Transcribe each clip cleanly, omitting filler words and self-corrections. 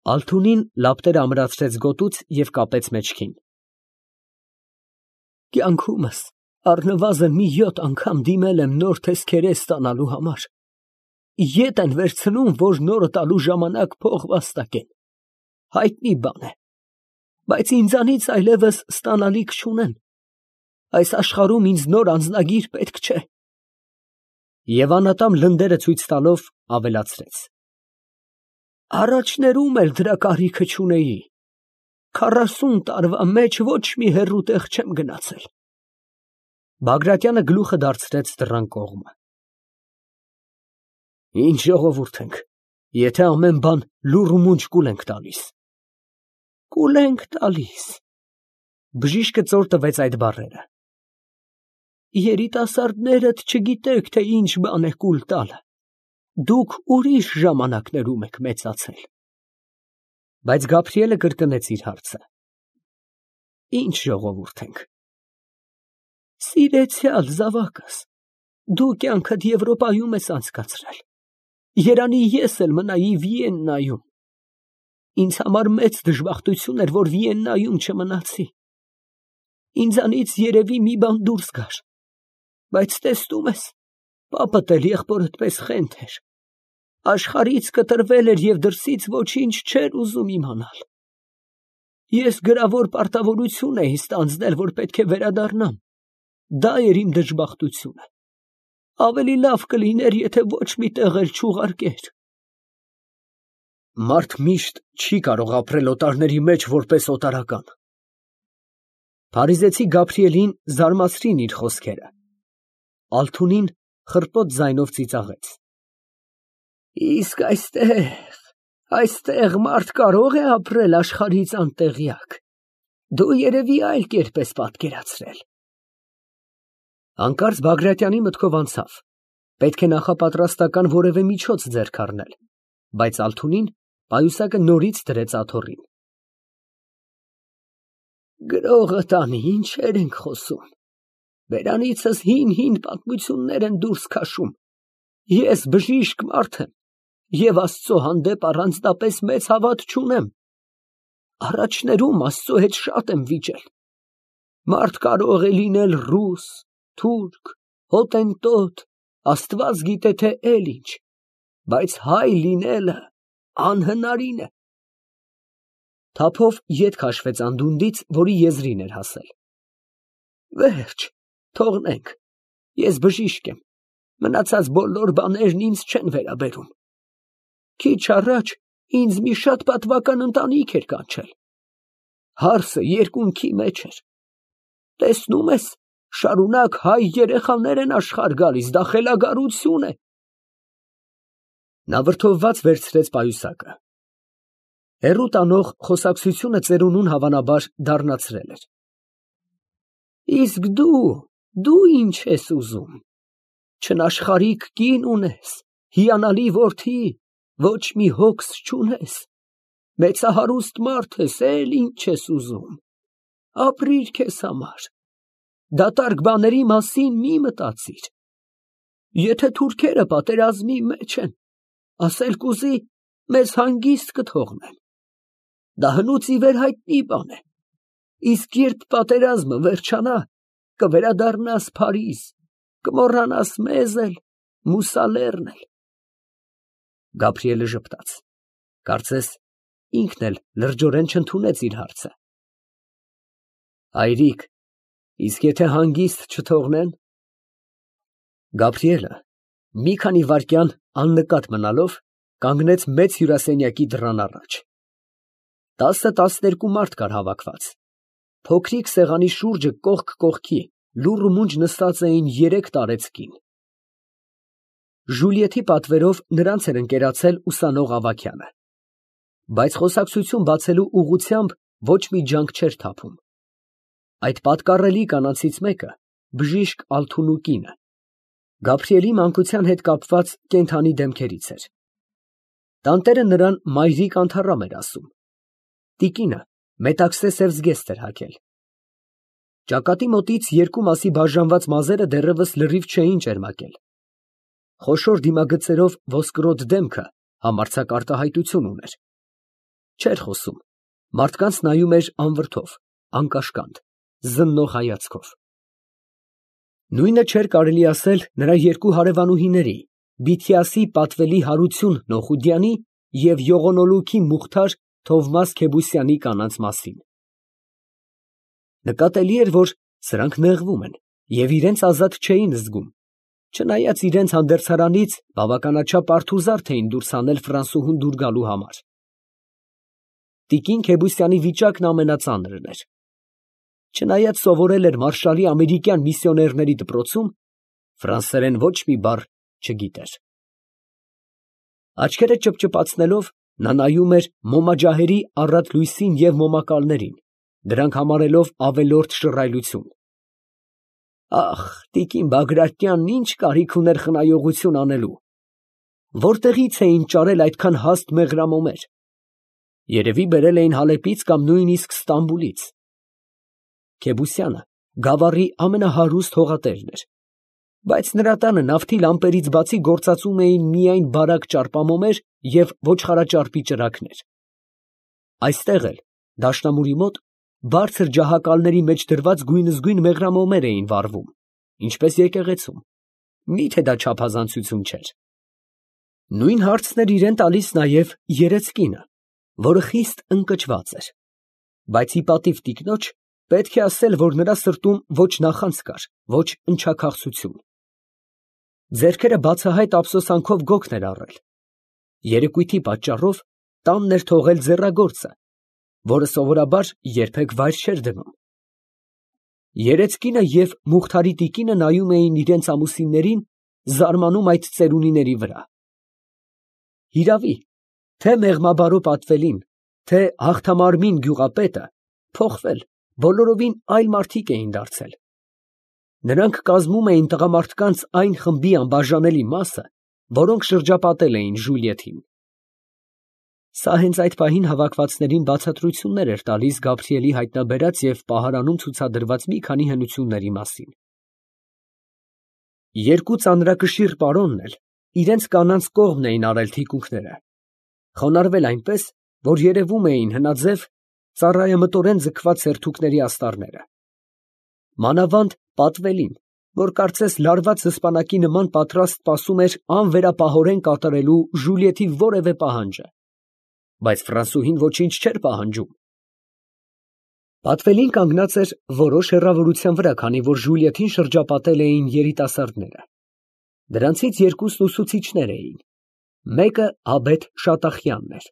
Ալթունին լապտերը ամրացրեց գոտուց և կապեց մեջքին։ Կյանքումս առնվազն մի 7 անգամ դիմել եմ նոր տեսքերես ստանալու համար։ Ետ են վերցնում, որ նորը տալու ժամանակ փող վաստակեն։ Հայտնի բան է, բայց ինձանից այլևս ստանալիք չունեն։ Այս աշխարհում ինձ նոր անձնագիր պետք չէ։ Եվ անատամ լնդերը ցույց տալով ավելացրեց. Առաջներում էլ դրա կարիքը չունեի։ 40 տարվա մեջ ոչ մի հեռու տեղ չեմ գնացել։ Բագրատյանը գլուխը դարձրեց դռան կողմը։ Ինչ ժողովուրդ ենք, եթե ամեն բան լուռ ու մունջ կուլ ենք տալիս։ Կուլ ենք տալիս։ Բժիշկը ծոր տվեց այդ բառերը։ Երիտասարդներդ չգիտեք, թե ինչ բան է կուլ տալը։ Դուք ուրիշ ժամանակներում եք մեծացել։ Բայց Գաբրիելը կրկնեց իր հարցը։ Ինչ ժողովուրդ ենք։ Սիրեցյալ զավակս, դու կյանքդ Եվրոպայում ես անցկացրել։ Երանի ես էլ մնայի Վիեննայում։ Ինձ համար մեծ դժբախտություն էր, որ Վիեննայում չմնացի։ Ինձանից երևի մի բան դուրս գար։ Բայց տեսնում ես, պապդ էլ եղբորդ պես խենթ էր։ Աշխարհից կտրվել էր և դրսից ոչինչ չէր ուզում իմանալ։ Ես գրավոր պարտավորություն էի ստանձնել, որ պետք է վերադառնամ։ Դա էր իմ դժբախտությունը։ Ավելի լավ կլիներ, եթե ոչ մի տեղ էլ չուղարկեր։ Մարդ միշտ չի կարող ապրել օտարների մեջ որպես օտարական։ Փարիզեցի Գաբրիելին զարմացրին իր խոսքերը։ Ալթունին խռպոտ ձայնով ծիծաղեց։ Իսկ այստեղ մարդ կարող է ապրել աշխարհից անտեղյակ։ Դու երևի այլ կերպ ես պատկերացրել։ Հանկարծ Բագրատյանի մտքով անցավ. պետք է նախապատրաստական որևէ միջոց ձեռք առնել, բայց Ալթունին պայուսակը նորից դրեց աթոռին։ Գրողը տանի, ինչեր ենք խոսում։ Բերանիցս հին պատմություններ են դուրս քաշում։ Ես բժիշկ մարդ եմ և Աստծո հանդեպ առանձնապես մեծ հավատ չունեմ։ Առաջներում Աստծո հետ շատ եմ վիճել։ Մարդ կարող է լինել ռուս, թուրք, հոտենտոտ, Աստված գիտե թե էլ ինչ, բայց հայ լինելը անհնարին է։ Թափով ետ քաշվեց անդունդից, որի եզրին էր հասել։ Վերջ, թողնենք, ես բժիշկ եմ, մնացած բոլոր բաներն ինձ չեն վերաբերում։ Քիչ առաջ ինձ մի շատ պատվական ընտանիք էր կանչել։ Հարսը երկունքի մեջ էր։ Տեսնում ես, շարունակ հայ երեխաներ են աշխարհ գալիս, դա խելագարություն է։ Նա վրդովված վերցրեց պայուսակը։ Հեռու տանող խոսակցությունը ծերունուն հավանաբար դառնացրել էր։ Իսկ դու ինչ ես ուզում։ Չնաշխարհիկ կին ունես, հիանալի որդի, ոչ մի հոգս չունես, մեծահարուստ մարդ ես, էլ ինչ ես ուզում։ Ապրիր քեզ համար, դատարկ բաների մասին մի մտածիր։ Եթե թուրքերը պատերազմի մեջ են, ասել կուզի, մեզ հանգիստ կթողնեն։ Դա հնուց ի վեր հայտնի բան է։ Իսկ երբ պատերազմը վերջանա, կվերադառնաս Փարիզ, կմոռանաս մեզ էլ, Մուսալերն էլ։ Գաբրիելը ժպտաց։ Կարծես ինքն էլ լրջորեն չընդունեց իր հարցը։ Հայրիկ, իսկ եթե հանգիստ չթողնեն։ Գաբրիելը մի քանի վայրկյան աննկատ մնալով կանգնեց մեծ հյուրասենյակի դռան առաջ։ 10-12 մարդ կար հավաքված։ Փոքրիկ սեղանի շուրջը կողք կողքի լուռ ու մունջ նստած էին 3 տարեցկին։ Ժուլիեթի պատվերով նրանց էր ընկերացել ուսանող Ավագյանը։ Բայց խոսակցություն բացելու ուղղությամբ ոչ մի ջանք չէր թափում։ Այդ պատկառելի կանանցից մեկը բժիշկ Ալթունու կինը, Գաբրիելի մանկության հետ կապված կենդանի դեմքերից էր։ Տանտերը նրան մայրիկ անթառամ էր ասում։ Տիկինը մետաքսե սև զգեստ էր հագել։ Ճակատի մոտից երկու մասի բաժանված մազերը դեռևս լրիվ չէին ճերմակել։ Խոշոր դիմագծերով ոսկրոտ դեմքը համարձակ արտահայտություն ուներ։ Չէր խոսում, մարդկանց նայում էր անվրդով, անկաշկանդ, զննող հայացքով։ Նույնը չէր կարելի ասել նրա երկու հարևանուհիների՝ Բիթիասի պատվելի Հարություն Նոխուդյանի և Յողոնոլուքի Մուխթար Թովմաս Քեբուսյանի կանանց մասին։ Նկատելի էր, որ սրանք նեղվում են և իրենց ազատ չէին զգում, չնայած իրենց հանդերձարանից բավականաչափ արթուզարդ էին դուրս հանել Ֆրանսուհուն դուր գալու համար։ Տիկին Քեբուսյանի վիճակն ամենածանրն էր։ Չնայած սովորել էր մարշալի ամերիկյան միսիոներների դպրոցում, ֆրանսերեն ոչ մի բառ չգիտեր։ Աչքերը ճպճպացնելով, նա նայում էր մոմաջահերի առատ լույսին և մոմակալներին, դրանք համարելով ավելորդ շռայլություն։ Ախ, տիկին Բագրատյանն ինչ կարիք ուներ խնայողություն անելու, որտեղից էին ճարել այդքան հաստ մեղրամոմեր, երևի բերել էին Հալեպից կամ նույնիսկ Ստամբուլից։ Քեբուսյանը գավառի ամենահարուստ հողատերն էր, բայց նրա տանը նավթի լամպերից բացի գործածում էին միայն բարակ ճարպամոմեր և ոչխարաճարպի ճրագներ։ Այստեղ էլ, դաշնամուրի մոտ, բարձր ջահակալների մեջ դրված գույնզգույն մեղրամոմեր էին վառվում, ինչպես եկեղեցում, միթե դա չափազանցություն չէր։ Նույն հարցն էր իրան տալիս նաև երեցկինը, որը խիստ ընկճված էր, բայց ի պատիվ տիկնոջ, պետք է ասել, որ նրա սրտում ոչ նախանձ կար, ոչ ընչաքաղցություն։ Ձեռքերը բացահայտ ափսոսանքով գոգն էր առել։ Երեկույթի պատճառով տանն էր թողել ձեռագործը, որը սովորաբար երբեք վայր չէր դնում։ Երեցկինը և Մուխթարի տիկինը նայում էին իրենց ամուսիններին, զարմանում այդ ծերունիների վրա։ Հիրավի, թե Մեղմաբարո պատվելին, թե Հաղթամարմին գյուղապետը փոխվել, բոլորովին այլ մարդիկ էին դարձել։ Նրանք կազմում էին տղամարդկանց այն խմբի անբաժանելի մասը, որոնք շրջապատել էին Ժուլիեթին։ Սա հենց այդ պահին հավաքվածներին բացատրություններ էր տալիս Գաբրիելի հայտնաբերած և պահարանում ցուցադրված մի քանի հնությունների մասին։ Երկու ծանրակշիռ պարոնն էլ իրենց կանանց կողմն էին արել թիկունքները, խոնարհվել այնպես, որ երևում էին հնաձև, ծառայամտորեն ձգված սերթուկների աստառները։ Մանավանդ պատվելին, որ կարծես լարված սպանակի նման պատրաստ սպասում էր անվերապահորեն կատարելու Ժուլիեթի որևէ պահանջը, բայց Ֆրանսուհին ոչինչ չէր պահանջում։ Պատվելին կանգնած էր որոշ հեռավորության վրա, քանի որ Ժուլիեթին շրջապատել էին երիտասարդները։ Դրանցից երկուսն ուսուցիչներ էին, մեկը Աբեթ Շատախյանն էր։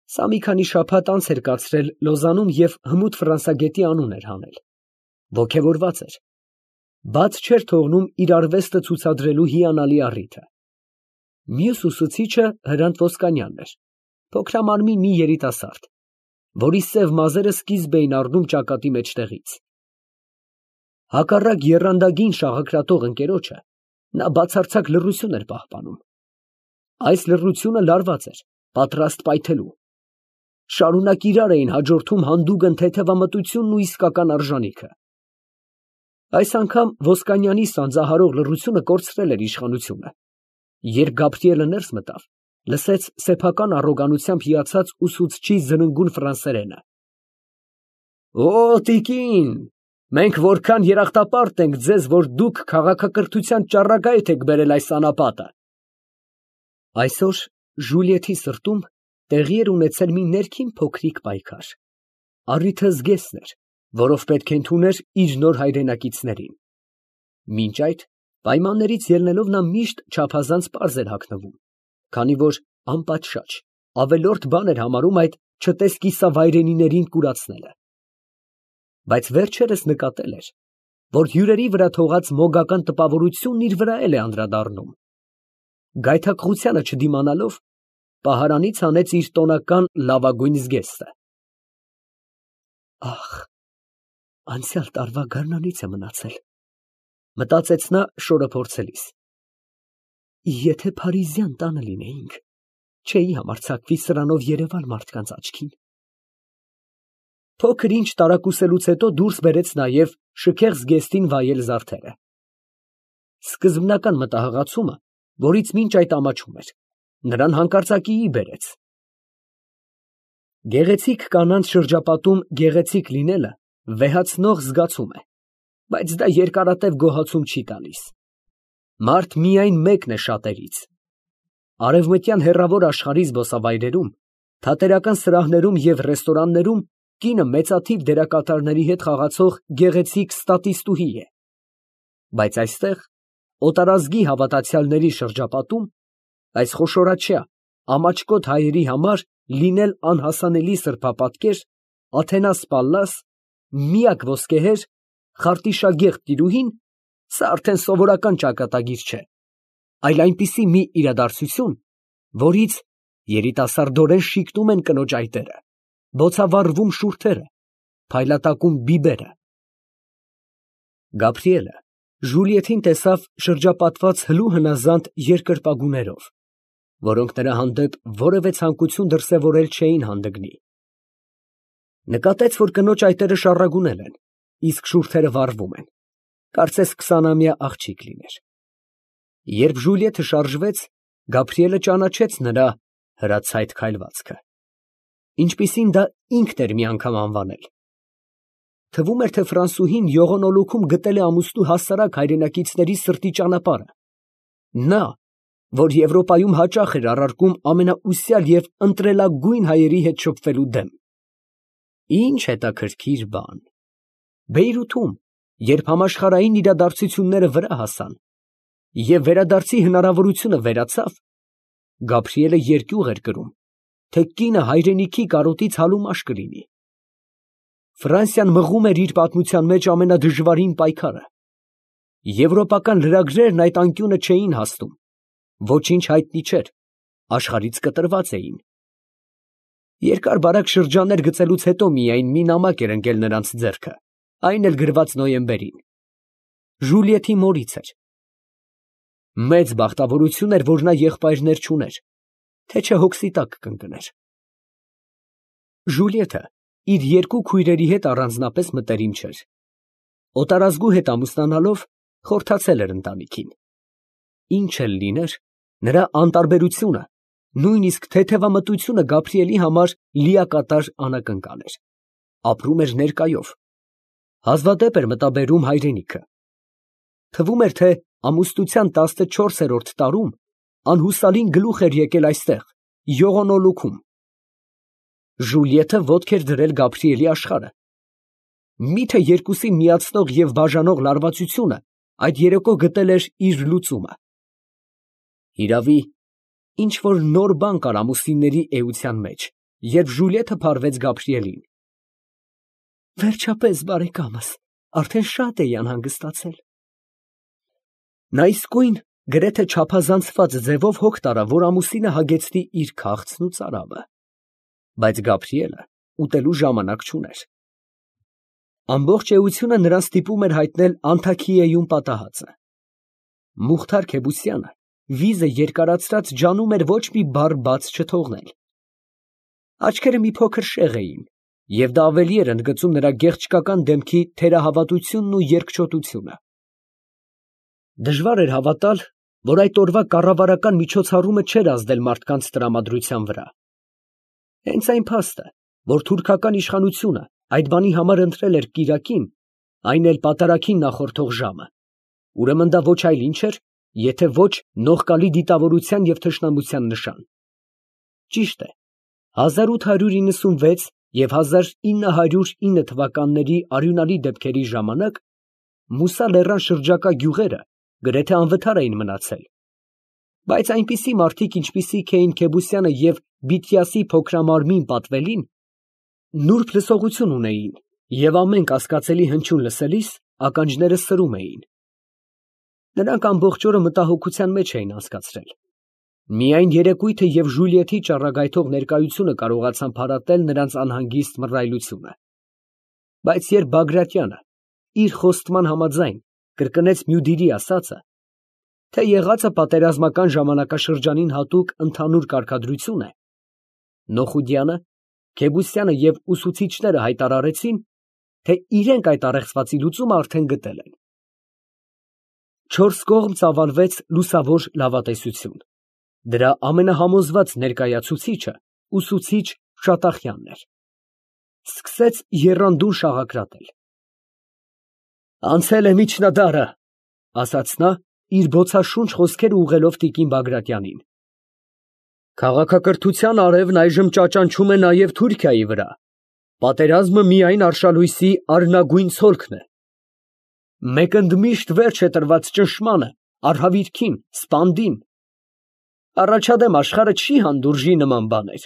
Սա մի քանի շաբաթ անց էր կացրել Լոզանում և հմուտ ֆրանսագետի անուն էր հանել։ Ոգևորված էր, բաց չէր թողնում իր արվեստը ցուցադրելու հիանալի առիթը։ Մյուս ուսուցիչը Հրանտ Ոսկանյանն էր, փոքրամարմին մի երիտասարդ, որի սև մազերը սկիզբ էին առնում ճակատի մեջտեղից։ Հակառակ եռանդագին շաղակրատող ընկերոջը, նա բացարձակ լռություն էր պահպանում։ Այս լռությունը լարված էր, պատրաստ պայթելու։ Շարունակ իրար էին հաջորդում հանդուգն թեթևամտությունն ու իսկական արժանիքը։ Այս անգամ Ոսկանյանի սանձահարող լռությունը կորցրել էր իշխանությունը, երբ Գաբրիելը ներս մտավ, լսեց սեփական առոգանությամբ հիացած ուսուցչի զննգուն ֆրանսերենը. «Օ, տիկին, մենք որքան երախտապարտ ենք ձեզ, որ դուք քաղաքակրթության ճառագայթ եք բերել այս անապատը»։ Այսօր Ժուլիեթի սրտում տեղի էր ունեցել մի ներքին փոքրիկ պայքար։ Առիթը զգեստն էր, որով պետք է ընդուներ իր նոր հայրենակիցներին։ Մինչ այդ, պայմաններից ելնելով նա միշտ չափազանց պարզ էր հագնվում, քանի որ անպատշաճ, ավելորդ բան էր համարում այդ չտեսկիսավայրենիներին կուրացնելը։ Բայց վերջերս նկատել էր, որ հյուրերի վրա թողած մոգական տպավորությունն իր վրա էլ է անդրադառնում։ Գայթակղությանը չդիմանալով, պահարանից հանեց իր տոնական լավագույն զգեստը։ Ախ, անցյալ տարվա գարնանից է մնացել, մտածեց նա շորը փորձելիս։ Եթե փարիզյան տանը լինեինք, չէի համարձակվի սրանով երևալ մարդկանց աչքին։ Փոքր ինչ տարակուսելուց հետո դուրս բերեց նաև շքեղ զգեստին վայել զարդերը։ Սկզբնական մտահղացումը, որից մինչ այդ ամաչում էր, նրան հանկարծակիի բերեց։ Գեղեցիկ կանանց շրջապատում գեղեցիկ լինելը վեհացնող զգացում է, բայց դա երկարատև գոհացում չի տալիս։ Մարդ միայն մեկն է շատերից։ Արևմտյան հեռավոր աշխարհի զբոսավայրերում, թատերական սրահներում և ռեստորաններում կինը մեծաթիվ դերակատարների հետ խաղացող գեղեցիկ ստատիստուհի է, բայց այստեղ, օտարազգի հավատացյալների շրջապատում, այս խոշորաչյա, ամաչկոտ հայերի համար լինել անհասանելի սրբապատկեր, Աթենաս Պալլաս, միակ ոսկեհեր, խարտիշագեղ տիրուհին, սա արդեն սովորական ճակատագիր չէ, այլ այնպիսի մի իրադարձություն, որից երիտասարդորեն շիկնում են կնոջ այտերը, բոցավառվում շուրթերը, փայլատակում բիբերը։ Գաբրիելը Ժուլիեթին տեսավ շրջապատված հլու հնազանդ երկրպագուներով, որոնք նրա հանդեպ որևէ ցանկություն դրսևորել չէին հանդգնի։ Նկատեց, որ կնոջ այտերը շառագունել են, իսկ շուրթերը վառվում են, կարծես 20-ամյա աղջիկ լիներ։ Երբ Ժուլիեթը շարժվեց, Գաբրիելը ճանաչեց նրա հրացայտ քայլվածքը, ինչպիսին դա ինքն էր մի անգամ անվանել։ Թվում էր, թե ֆրանսուհին յողոնոլուքում գտել է ամուսնու հասարակ հայրենակիցների սրտի ճանապարհը։ Նա, որ Եվրոպայում հաճախ էր առարկում ամենաուսյալ և ընտրելագույն հայերի հետ շփվելու դեմ։ Ինչ հետաքրքիր բան։ Բեյրութում, երբ համաշխարհային իրադարձությունները վրա հասան և վերադարձի հնարավորությունը վերացավ, Գաբրիելը երկյուղ էր կրում, թե կինը հայրենիքի կարոտից հալումաշ կլինի։ Ֆրանսիան մղում էր իր պատմության մեջ ամենադժվարին պայքարը։ Եվրոպական լրագրերն այդ անկյունը չէին հասնում, ոչինչ հայտնի չէր, աշխարհից կտրված էին։ Երկար-բարակ շրջաններ գծելուց հետո միայն մի նամակ էր ընկել նրանց ձեռքը, այն էլ գրված նոյեմբերին։ Ժուլիեթի մորից էր։ Մեծ բախտավորություն էր, որ նա եղբայրներ չուներ, թե չէ հոգսի տակ կընկներ։ Ժուլիեթը իր երկու քույրերի հետ առանձնապես մտերիմ չէր։ Օտարազգու հետ ամուսնանալով խորթացել էր ընտանիքին։ Ինչ էլ լիներ, նրա անտարբերությունը, նույնիսկ թեթևամտությունը Գաբրիելի համար լիակատար անակնկալ էր։ Ապրում էր ներկայով։ Հազվադեպ էր մտաբերում հայրենիքը։ Թվում էր, թե ամուսնության 14-րդ տարում անհուսալին գլուխ էր եկել այստեղ, յողոնոլուքում։ Ժուլիեթը ոտք էր դրել Գաբրիելի աշխարհը։ Միթե երկուսին միացնող և բաժանող լարվածությունը այդ երեկո գտել էր իր լուծումը։ Հիրավի, ինչ֊որ նոր բան կար ամուսինների էության մեջ, երբ Ժուլիեթը փարվեց Գաբրիելին։ Վերջապես, բարեկամս, արդեն շատ էի անհանգստացել։ Նա իսկույն գրեթե չափազանցված ձևով հոգ տարավ, որ ամուսինը հագեցնի իր քաղցն ու ծարավը, բայց Գաբրիելը ուտելու ժամանակ չուներ։ Ամբողջ էությունը նրան ստիպում էր հայտնել Անթաքիեում պատահածը։ Մուխթար Քեբուսյանը վիզը երկարացրած ջանում էր ոչ մի բառ բաց չթողնել։ Աչքերը մի փոքր շեղ էին, և դա ավելի էր ընդգծում նրա գեղեցկական դեմքի թերահավատությունն ու երկչոտությունը։ Դժվար էր հավատալ, որ այդ օրվա կառավարական միջոցառումը չէր ազդել մարդկանց տրամադրության վրա։ Հենց այն փաստը, որ թուրքական իշխանությունը այդ բանի համար ընտրել էր կիրակին, այն էլ պատարագին նախորդող ժամը, ուրեմն դա ոչ այլ ինչ էր, եթե ոչ նողկալի դիտավորության և թշնամության նշան։ Ճիշտ է, 1896 և 1909 թվականների արյունալի դեպքերի ժամանակ Մուսա լեռան շրջակա գյուղերը գրեթե անվտար էին մնացել, բայց այնպիսի մարդիկ, ինչպիսիք էին Քեբուսյանը և Բիթյասի փոքրամարմին Պատվելին, նուրբ լսողություն ունեին և ամեն կասկածելի հնչյուն լսելիս ականջները սրում էին։ Նրանք ամբողջ օրը մտահոգության մեջ էին անցկացրել։ Միայն երեկույթը և Ժուլիեթի ճառագայթող ներկայությունը կարողացան փարատել նրանց անհանգիստ մռայլությունը։ Բայց երբ Բագրատյանը իր խոստման համաձայն կրկնեց Մյուդիրի ասածը, թե եղածը պատերազմական ժամանակաշրջանին հատուկ ընդհանուր կարգադրություն է, Նոխուդյանը, Քեբուսյանը և ուսուցիչները հայտարարեցին, թե իրենք այդ առեղծվածի լուծումը արդեն գտել են։ Չորս կողմ ծավալվեց լուսավոր լավատեսություն։ Դրա ամենահամոզված ներկայացուցիչը ուսուցիչ Շատախյանն էր։ Սկսեց եռանդուն շաղակրատել։ Անցել է միջնադարը, ասաց նա, իր բոցաշունչ խոսքերը ուղղելով տիկին Բագրատյանին։ Քաղաքակրթության արևն այժմ ճաճանչում է նաև Թուրքիայի վրա։ Պատերազմը միայն արշալույսի արնագույն ցոլքն է։ Մեկ ընդմիշտ վերջ է տրված ճնշմանը, արհավիրքին, սպանդին։ Առաջադեմ աշխարհը չի հանդուրժի նման բաներ,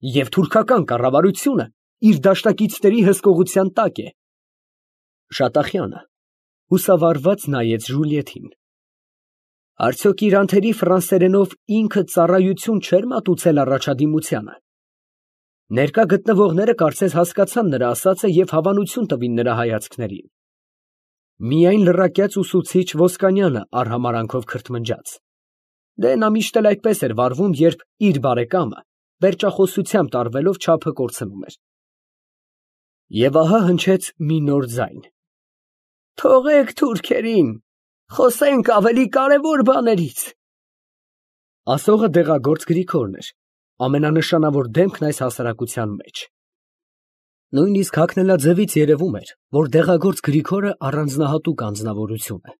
և թուրքական կառավարությունը իր դաշնակիցների հսկողության տակ է։ Շատախյանը հուսավառված նայեց Ժուլիետին։ Արդյոք իր անթերի ֆրանսերենով ինքը ծառայություն չէր մատուցել առաջադիմությանը։ Ներկա գտնվողները կարծես հասկացան նրա ասածը և հավանություն տվին նրա հայացքներին։ Միայն լրակյաց ուսուցիչ Ոսկանյանը արհամարանքով քրթմնջաց։ Դե նա միշտ էլ այդպես էր վարվում, երբ իր բարեկամը վերջախոսությամբ տարվելով չափը կորցնում էր։ Եվ ահա հնչեց մի նոր ձայն. Թողեք թուրքերին, խոսենք ավելի կարևոր բաներից։ Ասողը դեղագործ Գրիգորն էր, ամենանշանավոր դեմքն այս հասարակության մեջ։ Նույնիսկ հագնելաձևից երևում էր, որ դեղագործ Գրիգորը առանձնահատուկ անձնավորություն է։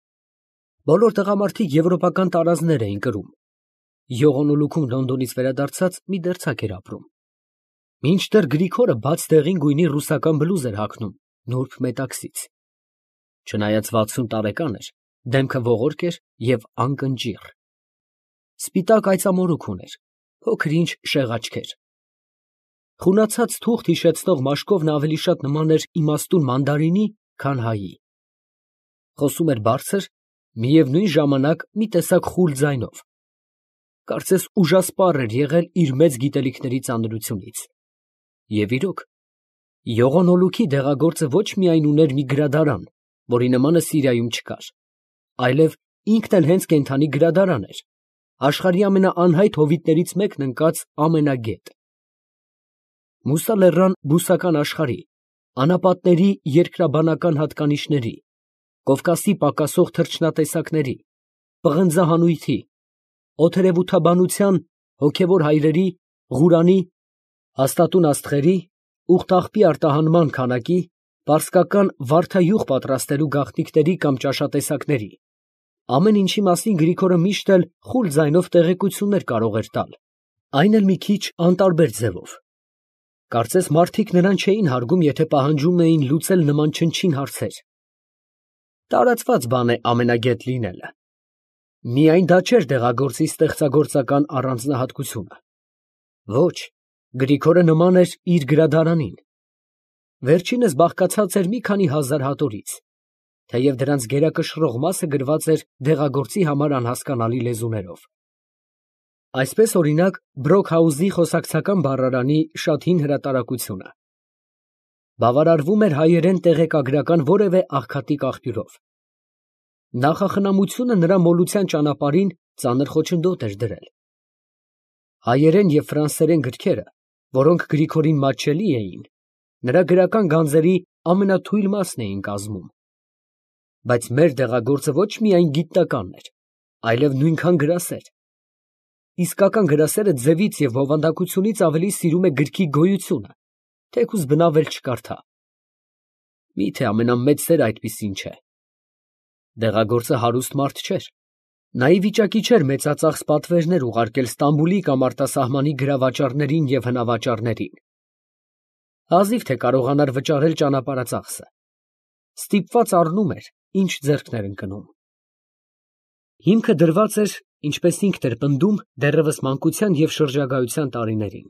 Բոլոր տղամարդիկ եվրոպական տարազներ էին կրում։ Յողոնոլուքում Լոնդոնից վերադարձած մի դերձակ էր ապրում։ Մինչդեռ Գրիգորը բաց դեղին գույնի ռուսական բլուզ էր հագնում, նուրբ մետաքսից։ Չնայած 60 տարեկան էր, դեմքը ողորկ էր և անկնճիռ։ Սպիտակ այծամորուք ուներ, փոքր-ինչ շեղաչքեր։ Խունացած թուղթ հիշեցնող մաշկով նա ավելի շատ նման էր իմաստուն մանդարինի, քան հայի։ Խոսում էր բարձր, միևնույն ժամանակ մի տեսակ խուլ ձայնով։ Կարծես ուժասպառ էր եղել իր մեծ գիտելիքների ծանրությունից։ Եվ իրոք, Յողոնոլուքի դեղագործը ոչ միայն ուներ մի գրադարան, որի նմանը Սիրիայում չկար, այլև ինքն էլ հենց կենդանի գրադարան էր, աշխարհի ամենաանհայտ հովիտներից մեկն ընկած ամենագետ։ Մուսա լեռան բուսական աշխարհի, անապատների երկրաբանական հատկանիշների, Կովկասի պակասող թռչնատեսակների, պղնձահանույթի, օդերևութաբանության, հոգևոր հայրերի, Ղուրանի, հաստատուն աստղերի, ուղտաղբի արտահանման քանակի, պարսկական վարդահյուղ պատրաստելու գաղտնիքների կամ ճաշատեսակների, ամեն ինչի մասին Գրիգորը միշտ էլ խուլ ձայնով տեղեկություններ կարող էր տալ, այն էլ մի քիչ անտարբեր ձևով։ Կարծես մարդիկ նրան չէին հարգում, եթե պահանջում էին լուծել նման չնչին հարցեր։ Տարածված բան է ամենագետ լինելը։ Միայն դա չէր դեղագործի ստեղծագործական առանձնահատկությունը։ Ոչ, Գրիգորը նման էր իր գրադարանին։ Վերջինս բաղկացած էր մի քանի հազար հատորից, թեև դրանց գերակշռող մասը գրված էր դեղագործի համար անհասկանալի լեզուներով։ Այսպես, օրինակ, Բրոքհաուզի խոսակցական բառարանի շատ հին հրատարակությունը։ Բավարարվում էր հայերեն տեղեկագրական որևէ աղքատիկ աղբյուրով։ Նախախնամությունը նրա մոլության ճանապարհին ծանր խոչընդոտ էր դրել։ Հայերեն և ֆրանսերեն գրքերը, որոնք Գրիգորին մատչելի էին, նրա գրական գանձերի ամենաթույլ մասն էին կազմում։ Բայց մեր դեղագործը ոչ միայն գիտնական էր, այլև նույնքան գրասեր։ Իսկական գրասերը ձևից և բովանդակությունից ավելի սիրում է գրքի գոյությունը, թեկուզ բնավել չկարդա։ Միթե ամենամեծ սերը այդպիսին չէ։ Դեղագործը հարուստ մարդ չէր։ Նա ի վիճակի չէր մեծածախս պատվերներ ուղարկել Ստամբուլի կամ արտասահմանի գրավաճառներին և հնավաճառներին։ Հազիվ թե կարողանար վճարել ճանապարհածախսը։ Ստիպված առնում էր, ինչ ձեռքն էր ընկնում։ Հիմքը դրված էր, ինչպես ինքն էր պնդում, դեռևս մանկության և շրջագայության տարիներին։